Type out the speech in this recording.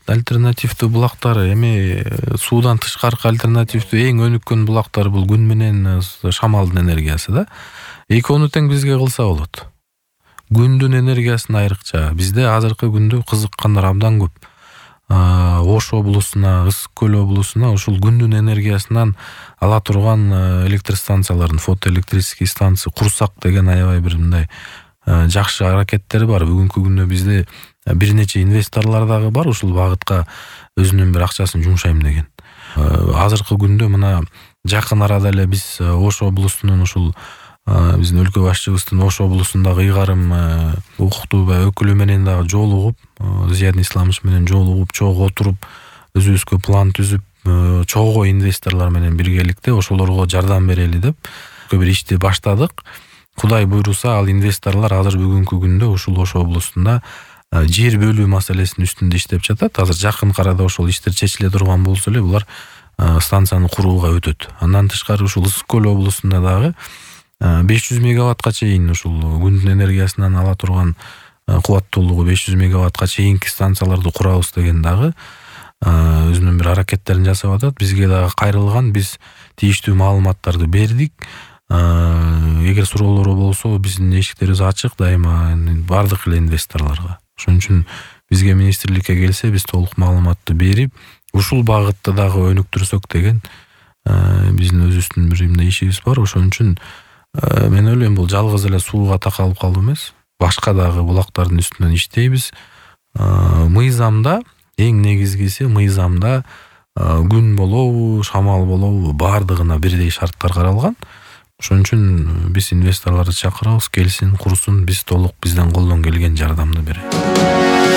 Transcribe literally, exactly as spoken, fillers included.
альтернативдүү булактар, эми суудан тышкаркы альтернативдүү эң өнүккөн булактар бул күн менен шамалдын энергиясы да. Экөөнү тең бизге кылса болот. Күндүн энергиясын айрыкча. Бизде азыркы күндө кызыккандар абдан көп. Ош облусуна, Ысык көл облусуна ушул күндүн энергиясынан ала турган электростанциялардын, фотоэлектрический станция курсак деген аябай бир мындай жакшы аракеттери бар. Бүгүнкү күндө бизде бир нече инвесторлор дагы бар ушул багытка өзүнүн бир акчасын жумшайм деген. Азыркы күндө мына жакын арада эле биз Ош облусунун ушул биздин өлкө башчыбыздын Ош облусундагы ыйгарым укуктуу өкүлү менен дагы жолугуп, Зиядин Исламович менен жолугуп, чогуу отуруп, өзүбүзгө план түзүп, чогуу инвесторлор менен биргеликте ошолорго жардам берели деп бир ишти баштадык. Кудай буйруса, ал инвесторлор азыр бүгүнкү күндө ушул Ош облусунда жер бөлүү маселесинин үстүндө иштеп жатат. Азыр жакын арада ошол иштер чечиле турган болсо эле булар станцияны курууга өтөт. Андан тышкары ушул Ысык көл облусунда дагы беш жүз мегаваттка чейин ушул күндүн энергиясынан ала турган кубаттуулугу беш жүз мегаваттка чейинки станцияларды курабыз деген дагы өзүнүн бир аракеттерин жасап атат. Бизге дагы кайрылган, биз тийиштүү маалыматтарды бердик. Эгер суроолору болсо, биздин эшиктерибиз ачык дайыма бардык эле инвесторлорго. Ошон үчүн бизге министрликке келсе, биз толук маалыматты берип, ушул багытты дагы өнүктүрсөк деген биздин өзүбүздүн бир мындай ишибиз бар. Ошон үчүн мен ойлойм, бул жалгыз эле сууга такалып калуу эмес, башка дагы булактардын үстүнөн иштейбиз. Мыйзамда эң негизгиси, мыйзамда күн болобу, шамал болобу, бардыгына бирдей шарттар каралган. Ошон үчүн биз инвесторлорду чакырабыз, келсин, курсун, биз толук бизден колдон келген жардамды беребиз.